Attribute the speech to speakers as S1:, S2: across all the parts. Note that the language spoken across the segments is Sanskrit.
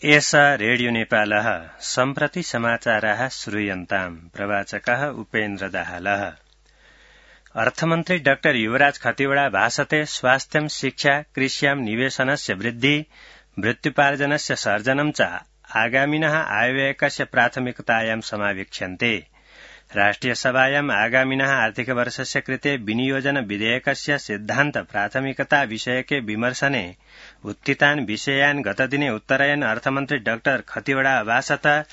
S1: एषा रेडियो नेपालः सम्प्रति समाचाराः श्रूयन्ताम्। प्रवाचकः उपेन्द्र दाहालः। अर्थमन्त्री डाक्टर युवराज खतिवड़ा भाषते स्वास्थ्यं शिक्षा कृष्यां निवेशनस्य वृद्धि वृत्त्युपार्जनस्य सर्जनं च आगामिनः आयव्ययकस्य प्राथमिकतायां समावेक्ष्यन्ते। राष्ट्रियसभायाम् आगामिनः आर्थिकवर्षस्य कृते विनियोजन विधेयकस्य सिद्धान्त प्राथमिकता विषयके विमर्शने उत्थितान् विषयान् गतदिने उत्तरयन् अर्थमन्त्री डाक्टर खतिवड़ा अभाषत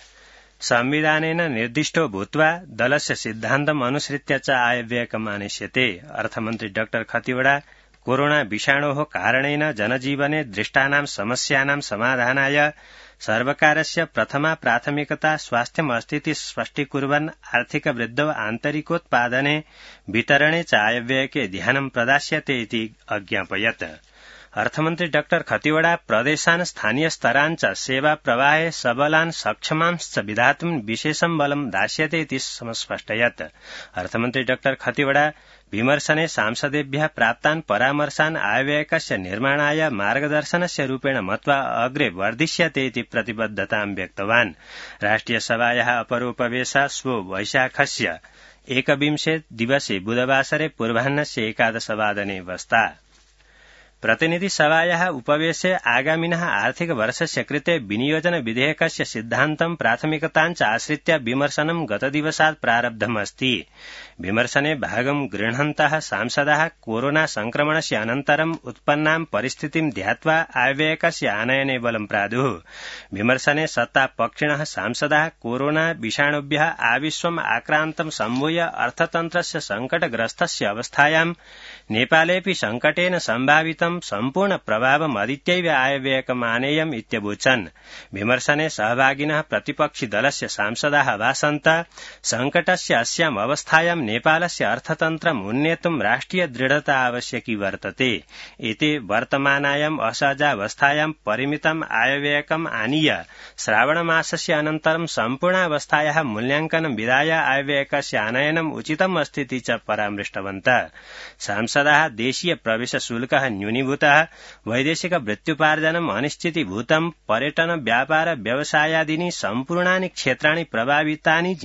S1: संविधानेन निर्दिष्टो भूत्वा दलस्य सिद्धान्तम् अनुसृत्य च आयव्ययकम् आनेष्यते। अर्थमन्त्री डाक्टर खतिवड़ा कोरोना विषाणोः कारणेन जनजीवने दृष्टानां समस्यानां समाधानाय सर्वकारस्य प्रथमा प्राथमिकता स्वास्थ्यमस्तीति स्पष्टीकुर्वन् आर्थिक वृद्धौ आन्तरिकोत्पादने वितरणे च आयव्ययके ध्यानं प्रदास्यते इति अज्ञापयत्। अर्थमन्त्री डाक्टर खतिवड़ा प्रदेशान् स्थानीय स्तरान् च सेवा प्रवाहे सबलान् सक्षमांश्च विधातुं विशेषं बलं दास्यते इति समस्पष्टयत्। अर्थमन्त्री डाक्टर खतिवड़ा विमर्शने सांसदेभ्यः प्राप्तान् परामर्शान् आयव्ययकस्य निर्माणाय मार्गदर्शनस्य रूपेण मत्वा अग्रे वर्धिष्यते इति प्रतिबद्धतां व्यक्तवान्। राष्ट्रियसभायाः अपरोपवेशः श्वो वैशाखस्य 21 दिवसे बुधवासरे पूर्वाह्नस्य 11 वादने वस्ता। प्रतिनिधिसभायाः उपवेशे आगामिनः आर्थिकवर्षस्य कृते विनियोजन विधेयकस्य सिद्धान्तं प्राथमिकताञ्च आश्रित्य विमर्शनं गतदिवसात् प्रारब्धमस्ति। विमर्शने भागं गृह्णन्तः सांसदाः कोरोना संक्रमणस्य अनन्तरम् उत्पन्नां परिस्थितिं ध्यात्वा आयव्ययकस्य आनयने बलं प्रादुः। विमर्शने सत्तापक्षिणः सांसदाः कोरोना विषाणुभ्यः आविश्वम् आक्रान्तं सम्भूय अर्थतन्त्रस्य संकटग्रस्तस्य अवस्थायां नेपालेऽपि संकटेन सम्भावितं सम्पूर्ण प्रभावम् अधीत्यैव आयव्ययकम् आनेयम् इत्यवोचन्। विमर्शने सहभागिनः प्रतिपक्षि दलस्य सांसदाः भाषन्त संकटस्य अस्याम् अवस्थायां नेपालस्य अर्थतन्त्रम् उन्नेतुं राष्ट्रिय दृढता आवश्यकी वर्तते। एते वर्तमानायाम् असहजावस्थायां परिमितम् आयव्ययकम् आनीय श्रावणमासस्य अनन्तरं सम्पूर्णावस्थायाः मूल्याङ्कनं विधाय आयव्ययकस्य आनयनम् उचितम् अस्तीति च परामृष्टवन्तः। सांसदाः देशीय प्रवेश शुल्कः न्यूनीभूतः वैदेशिक वृत्त्युपार्जनम् अनिश्चितीभूतम् पर्यटन व्यापार व्यवसायादीनि सम्पूर्णानि क्षेत्राणि प्रभावितानि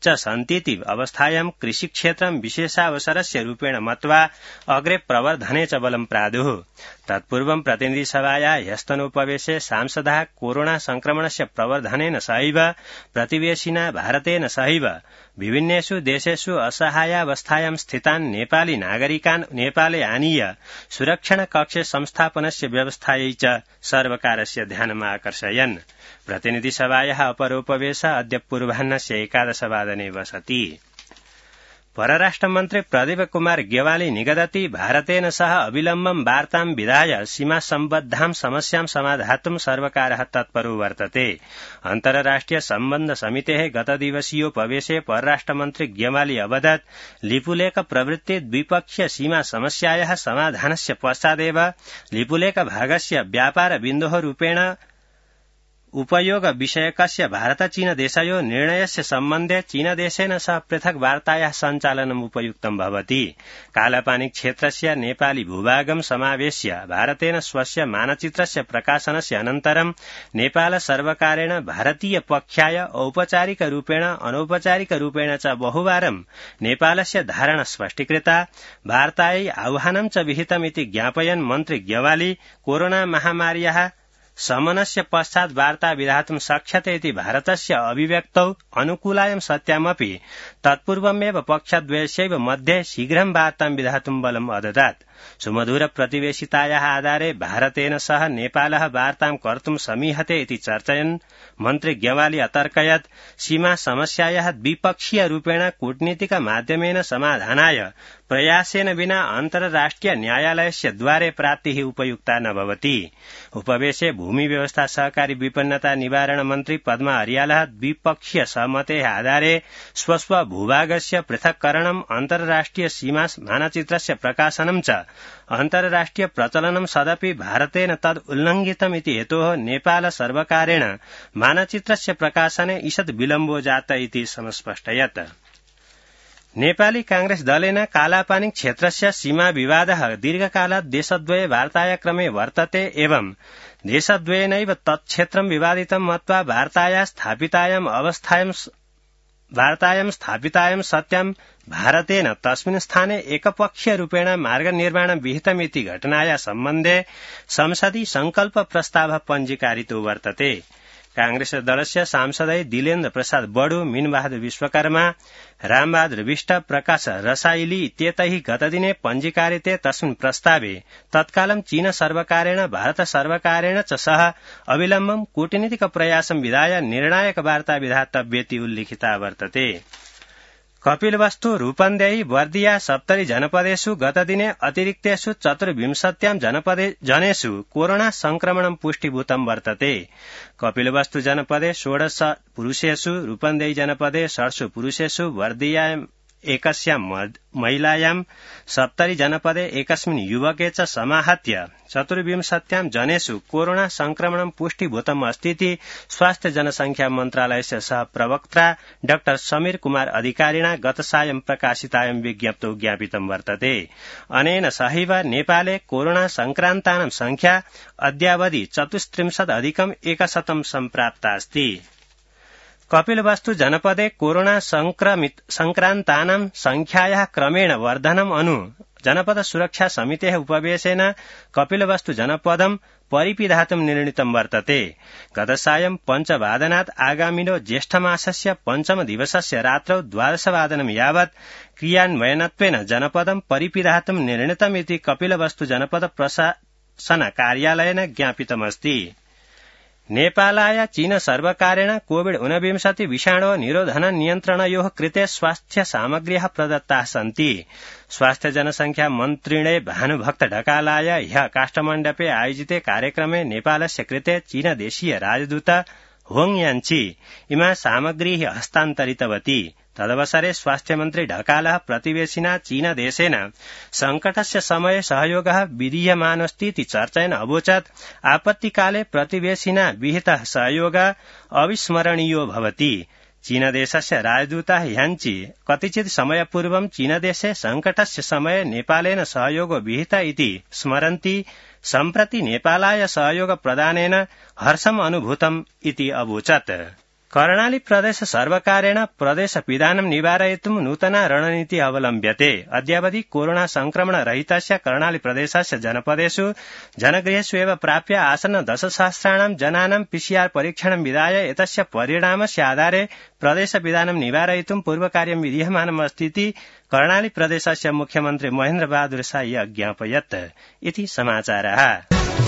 S1: च सन्तीति अवस्थायां कृषिक्षेत्रं विशेषावसरस्य रूपेण मत्वा अग्रे प्रवर्धने च बलं प्रादुः। तत्पूर्वं प्रतिनिधिसभायाः ह्यस्तनोपवेशे सांसदाः कोरोना संक्रमणस्य प्रवर्धनेन सहैव प्रतिवेशिना भारतेन सहैव विभिन्नेषु देशेषु असहायावस्थायां स्थितान् नेपाली नागरिकान् नेपाले आनीय सुरक्षण कक्षे संस्थापनस्य व्यवस्थायै च सर्वकारस्य ध्यानम् आकर्षयन्। प्रतिनिधिसभायाः अपरोपवेशः अद्य पूर्वाह्नस्य 11 वादने वसति। परराष्ट्रमन्त्री प्रदीप कुमार ग्यवाली निगदति भारतेन सह अविलम्बं वार्तां विधाय सीमा सम्बद्धां समस्यां समाधातुं सर्वकारः तत्परो वर्तते। अन्तर्राष्ट्रिय सम्बन्ध समितेः गतदिवसीयोपवेशे परराष्ट्रमन्त्री ग्यवाली अवदत् लिपुलेख प्रवृत्ति द्विपक्षीय सीमा समस्यायाः समाधानस्य पश्चादेव लिपुलेख भागस्य व्यापार बिन्दोः रूपेण उपयोग विषयकस्य भारत चीन देशयोः निर्णयस्य सम्बन्धे चीनदेशेन सह पृथक् वार्तायाः सञ्चालनम् उपयुक्तं भवति। कालापानी क्षेत्रस्य नेपाली भूभागं समावेश्य भारतेन स्वस्य मानचित्रस्य प्रकाशनस्य अनन्तरं नेपाल सर्वकारेण भारतीय पक्षाय औपचारिकरूपेण अनौपचारिकरूपेण च बहुवारं नेपालस्य धारणा स्पष्टीकृता वार्तायै आह्वानं च विहितमिति ज्ञापयन् मन्त्री ग्यवाली कोरोना महामार्याः शमनस्य पश्चात् वार्ता विधातुं शक्यते इति भारतस्य अभिव्यक्तौ अनुकूलायं सत्यामपि तत्पूर्वमेव पक्षद्वयस्यैव मध्ये शीघ्रं वार्तां विधातुं बलम् अददात्। सुमधुर प्रतिवेशितायाः आधारे भारतेन सह नेपालः वार्तां कर्तुं समीहते इति चर्चयन् मन्त्री ग्यवाली अतर्कयत् सीमा समस्यायाः द्विपक्षीय रूपेण कूटनीतिक माध्यमेन समाधानाय प्रयासेन विना अन्तर्राष्ट्रिय न्यायालयस्य द्वारे प्राप्तिः उपयुक्ता न भवति। उपवेशे भूमि व्यवस्था सहकारी विपन्नता निवारण मन्त्री पद्मा अर्यालः द्विपक्षीय सहमतेः आधारे स्वस्व भूभागस्य पृथक्करणम् अन्तर्राष्ट्रिय सीमा मानचित्रस्य प्रकाशनं च अन्तर्राष्ट्रिय प्रचलनं सदपि भारतेन तद् उल्लङ्घितमिति हेतोः नेपाल सर्वकारेण मानचित्रस्य प्रकाशने ईषद् विलम्बो जात इति समस्पष्टयत्। नेपाली कांग्रेस दलेन कालापानी क्षेत्रस्य सीमा विवादः दीर्घकालात् देशद्वये वार्ताया क्रमे वर्तते एवं देशद्वयेनैव तत्क्षेत्रं विवादितं मत्वा वार्तायां स्थापितायां सत्यां भारतेन तस्मिन् स्थाने एकपक्षीयरूपेण मार्गनिर्माण विहितमिति घटनाया सम्बन्धे संसदि संकल्प प्रस्ताव पञ्जीकारितो वर्तते। कांग्रेस दलस्य सांसदै दिलेन्द्र प्रसाद बडु, मीनबहादुर विश्वकर्मा, रामबहादुर विष्ट, प्रकाश रसाइली इत्येतैः गतदिने पञ्जीकारिते तस्मिन् प्रस्तावे तत्कालं चीन सर्वकारेण भारत सर्वकारेण च सह अविलम्बं कूटनीतिक प्रयासं विधाय निर्णायक वार्ता विधातव्येति उल्लिखिता वर्तते। कपिलवस्तु, रूपन्देही, बर्दिया, सप्तरी जनपदेषु गतदिने अतिरिक्तेषु 24 जनेषु कोरोना संक्रमणं पुष्टिभूतं वर्तते। कपिलवस्तु जनपदे 16 पुरुषेषु, रूपन्देही जनपदे 16 पुरुषेषु, बर्दियां एकस्यां महिलायां, सप्तरी जनपदे एकस्मिन् युवके च समाहत्य 24 जनेषु कोरोना संक्रमणं पुष्टिभूतम् अस्तीति स्वास्थ्य जनसंख्या मन्त्रालयस्य सह प्रवक्ता डाक्टर समीर कुमार अधिकारिणा गत सायं प्रकाशितायां विज्ञप्तौ ज्ञापितं वर्तते। अनेन सहैव नेपाले कोरोना संक्रान्तानां संख्या अद्यावधि 34,100 सम्प्राप्ता अस्ति। कपिलवस्तु जनपदे कोरोना संक्रान्तानां संख्यायाः क्रमेण वर्धनम् अनु जनपद सुरक्षा समितेः उपवेशेन कपिलवस्तु जनपदं परिपिधातुं निर्णीतं वर्तते। गतसायं 5:00 आगामिनो ज्येष्ठमासस्य 5म दिवसस्य रात्रौ 12:00 यावत् क्रियान्वयनत्वेन जनपदं परिपिधातुं निर्णीतमिति कपिलवस्तु जनपद प्रशासन कार्यालयेन ज्ञापितमस्ति। नेपालाय चीन सर्वकारेण कोविड-19 विषाणो निरोधन नियन्त्रणयोः कृते स्वास्थ्य सामग्र्यः प्रदत्ताः सन्ति। स्वास्थ्य जनसंख्या मन्त्रिणे भानुभक्त ढकालाय ह्यः काष्ठमण्डपे आयोजिते कार्यक्रमे नेपालस्य कृते चीनदेशीय राजदूत होङ यान्छी इमा सामग्रीः हस्तान्तरितवती। तदवसरे स्वास्थ्यमन्त्री ढकालः प्रतिवेशिना चीनदेशेन संकटस्य समये सहयोगः विधीयमानस्तीति चर्चयन् अवोचत् आपत्तिकाले प्रतिवेशिना विहितः सहयोगः अविस्मरणीयो भवति। चीनदेशस्य राजदूतः ह्यान्ची कतिचित् समयपूर्वं चीनदेशे संकटस्य समये नेपालेन सहयोगो विहित इति स्मरन्ति। सम्प्रति नेपालाय सहयोग प्रदानेन हर्षम् अनुभूतम् इति अवोचत्। कर्णाली प्रदेश सर्वकारेण प्रदेशपिधानं निवारयितुं नूतना रणनीति अवलम्ब्यते। अद्यावधि कोरोना संक्रमण रहितस्य कर्णाली प्रदेशस्य जनपदेषु जनगृहेषु एव प्राप्य आसन्न 10,000 जनानां PCR परीक्षणं विधाय एतस्य परिणामस्य आधारे प्रदेशपिधानं निवारयितुं पूर्वकार्यं विधीयमानमस्तीति कर्णाली प्रदेशस्य मुख्यमन्त्री महेन्द्र बहादुर शाही अज्ञापयत् इति समाचारः।